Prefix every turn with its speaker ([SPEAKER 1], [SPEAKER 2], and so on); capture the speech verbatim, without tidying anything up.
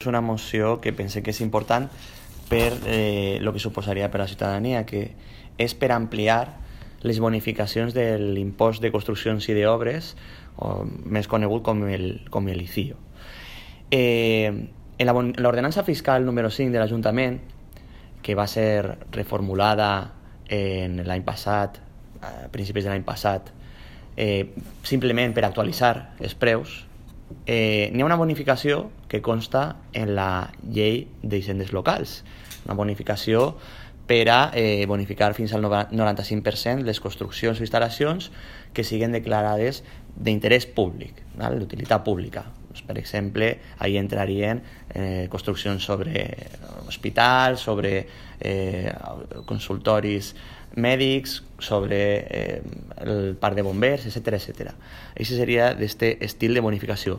[SPEAKER 1] És una moció que pense que és important per eh, el que suposaria per a la ciutadania, que és per ampliar les bonificacions de l'impost de construccions i d'obres, o més conegut com el, com el I C I O. Eh, en l'ordenança fiscal número cinc de l'Ajuntament, que va ser reformulada en l'any passat, a principis de l'any passat, eh, simplement per actualitzar els preus, Eh, n'hi ha una bonificació que consta en la llei d'hisendes locals, una bonificació per a eh, bonificar fins al noranta-cinc per cent les construccions o instal·lacions que siguin declarades d'interès públic, d'utilitat pública. Doncs, per exemple, ahí entrarien eh, construccions sobre hospitals, sobre eh, consultoris mèdics, sobre eh, el parc de bombers, etcètera, etcètera. Això seria d'aquest estil de bonificació.